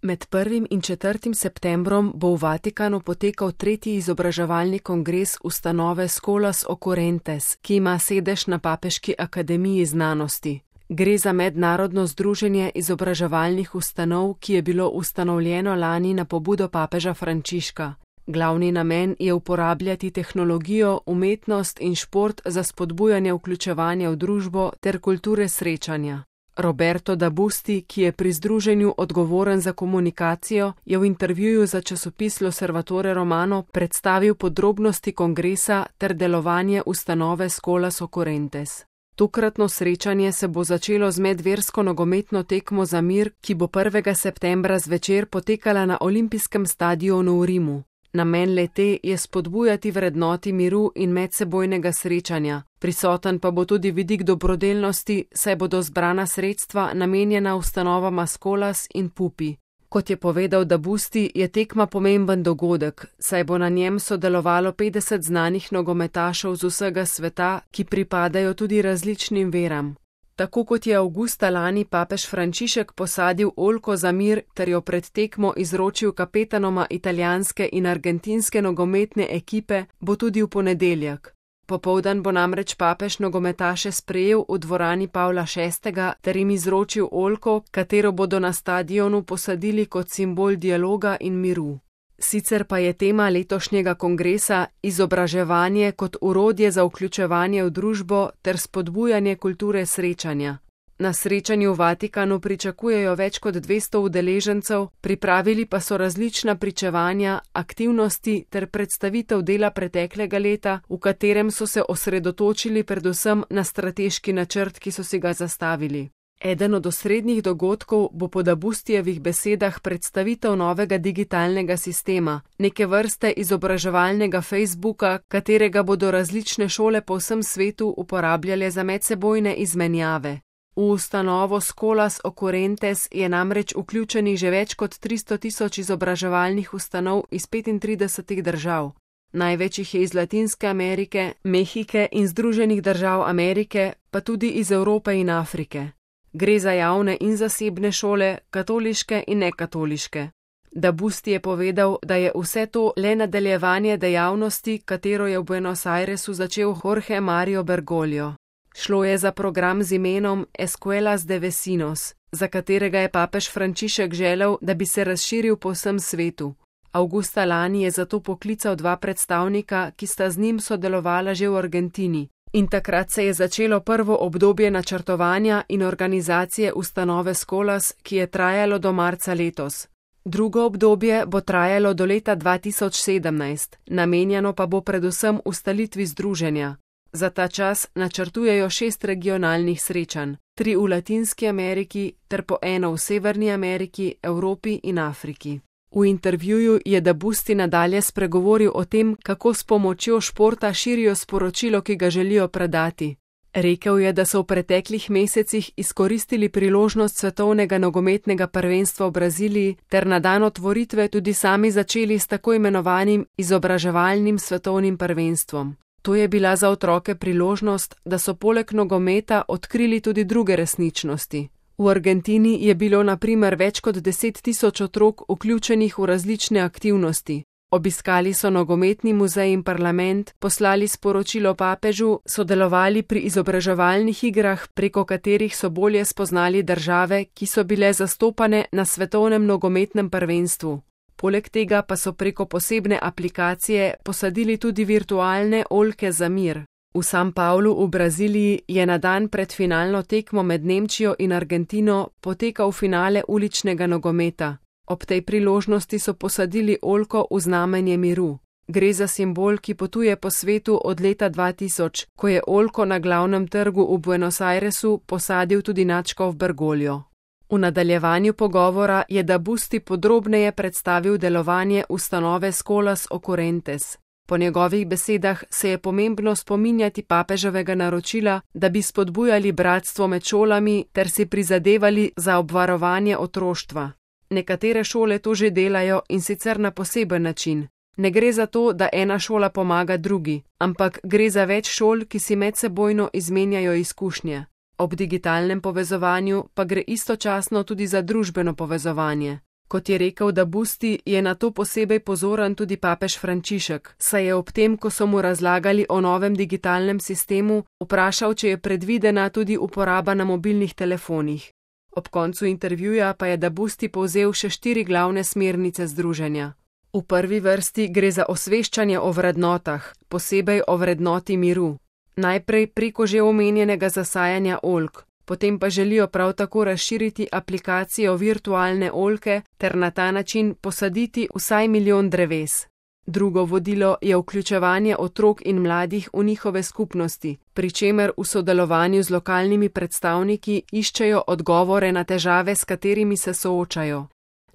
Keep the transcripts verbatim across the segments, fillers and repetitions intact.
Med prvim in četrtim septembrom bo v Vatikanu potekal tretji izobraževalni kongres ustanove Scholas Occurrentes, ki ima sedež na Papeški akademiji znanosti. Gre za mednarodno združenje izobraževalnih ustanov, ki je bilo ustanovljeno lani na pobudo papeža Frančiška. Glavni namen je uporabljati tehnologijo, umetnost in šport za spodbujanje vključevanja v družbo ter kulture srečanja. Roberto da Busti, ki je pri združenju odgovoren za komunikacijo, je v intervjuju za časopis L'Osservatore Romano predstavil podrobnosti kongresa ter delovanje ustanove Scholas Occurrentes. Tokratno srečanje se bo začelo z medversko nogometno tekmo za mir, ki bo prvega septembra zvečer potekala na olimpijskem stadionu v Rimu. Namen le-te je spodbujati vrednoti miru in medsebojnega srečanja, prisoten pa bo tudi vidik dobrodelnosti, saj bodo zbrana sredstva namenjena ustanovama Scholas in Pupi. Kot je povedal da Busti, je tekma pomemben dogodek, saj bo na njem sodelovalo petdeset znanih nogometašev z vsega sveta, ki pripadajo tudi različnim veram. Tako kot je avgusta lani papež Frančišek posadil oljko za mir ter jo pred tekmo izročil kapetanoma italijanske in argentinske nogometne ekipe, bo tudi v ponedeljek. Popoldan bo namreč papež nogometaše sprejel v dvorani Pavla šestega ter jim izročil oljko, katero bodo na stadionu posadili kot simbol dialoga in miru. Sicer pa je tema letošnjega kongresa izobraževanje kot orodje za vključevanje v družbo ter spodbujanje kulture srečanja. Na srečanju v Vatikanu pričakujejo več kot dvesto udeležencev, pripravili pa so različna pričevanja, aktivnosti ter predstavitev dela preteklega leta, v katerem so se osredotočili predvsem na strateški načrt, ki so si ga zastavili. Eden od osrednjih dogodkov bo po da Bustijevih besedah predstavitev novega digitalnega sistema, neke vrste izobraževalnega Facebooka, katerega bodo različne šole po vsem svetu uporabljale za medsebojne izmenjave. V ustanovo Scholas Occurrentes je namreč vključenih že več kot tristo tisoč izobraževalnih ustanov iz petintridesetih držav. Največ jih je iz Latinske Amerike, Mehike in Združenih držav Amerike, pa tudi iz Evrope in Afrike. Gre za javne in zasebne šole, katoliške in nekatoliške. Da Busti je povedal, da je vse to le nadaljevanje dejavnosti, katero je v Buenos Airesu začel Jorge Mario Bergoglio. Šlo je za program z imenom Escuelas de Vecinos, za katerega je papež Frančišek želel, da bi se razširil po vsem svetu. Avgusta lani je zato poklical dva predstavnika, ki sta z njim sodelovala že v Argentini. In takrat se je začelo prvo obdobje načrtovanja in organizacije ustanove Scholas, ki je trajalo do marca letos. Drugo obdobje bo trajalo do leta dva tisoč sedemnajst, namenjeno pa bo predvsem ustanovitvi združenja. Za ta čas načrtujejo šest regionalnih srečanj, tri v Latinski Ameriki ter po eno v Severni Ameriki, Evropi in Afriki. V intervjuju je da Busti nadalje spregovoril o tem, kako s pomočjo športa širijo sporočilo, ki ga želijo predati. Rekel je, da so v preteklih mesecih izkoristili priložnost svetovnega nogometnega prvenstva v Braziliji ter na dan otvoritve tudi sami začeli s tako imenovanim izobraževalnim svetovnim prvenstvom. To je bila za otroke priložnost, da so poleg nogometa odkrili tudi druge resničnosti. V Argentini je bilo na primer več kot deset tisoč otrok vključenih v različne aktivnosti. Obiskali so nogometni muzej in parlament, poslali sporočilo papežu, sodelovali pri izobraževalnih igrah, preko katerih so bolje spoznali države, ki so bile zastopane na svetovnem nogometnem prvenstvu. Poleg tega pa so preko posebne aplikacije posadili tudi virtualne oljke za mir. V San Paulu v Braziliji je na dan pred finalno tekmo med Nemčijo in Argentino potekal finale uličnega nogometa. Ob tej priložnosti so posadili oljko v znamenje miru. Gre za simbol, ki potuje po svetu od leta dva tisoč, ko je oljko na glavnem trgu v Buenos Airesu posadil tudi nadškof Bergoglio. V nadaljevanju pogovora je da Busti podrobneje predstavil delovanje ustanove Scholas Occurrentes. Po njegovih besedah se je pomembno spominjati papeževega naročila, da bi spodbujali bratstvo med šolami ter si prizadevali za obvarovanje otroštva. Nekatere šole to že delajo in sicer na poseben način. Ne gre za to, da ena šola pomaga drugi, ampak gre za več šol, ki si medsebojno izmenjajo izkušnje. Ob digitalnem povezovanju pa gre istočasno tudi za družbeno povezovanje. Kot je rekel Dabusti, je na to posebej pozoren tudi papež Frančišek, saj je ob tem, ko so mu razlagali o novem digitalnem sistemu, vprašal, če je predvidena tudi uporaba na mobilnih telefonih. Ob koncu intervjuja pa je Dabusti povzel še štiri glavne smernice združenja. V prvi vrsti gre za osveščanje o vrednotah, posebej o vrednoti miru. Najprej preko že omenjenega zasajanja oljk, potem pa želijo prav tako razširiti aplikacijo virtualne oljke ter na ta način posaditi vsaj milijon dreves. Drugo vodilo je vključevanje otrok in mladih v njihove skupnosti, pri čemer v sodelovanju z lokalnimi predstavniki iščejo odgovore na težave, s katerimi se soočajo.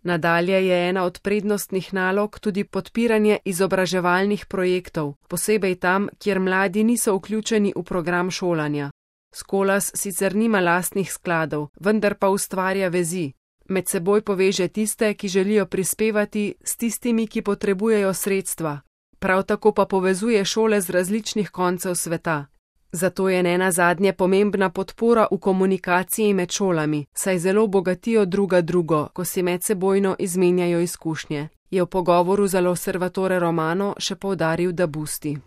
Nadalje je ena od prednostnih nalog tudi podpiranje izobraževalnih projektov, posebej tam, kjer mladi niso vključeni v program šolanja. Skolas sicer nima lastnih skladov, vendar pa ustvarja vezi. Med seboj poveže tiste, ki želijo prispevati, s tistimi, ki potrebujejo sredstva. Prav tako pa povezuje šole z različnih koncev sveta. Zato je nenazadnje pomembna podpora v komunikaciji med šolami, saj zelo bogatijo druga drugo, ko si medsebojno izmenjajo izkušnje, je v pogovoru za L'Osservatore Romano še poudaril Dabusti.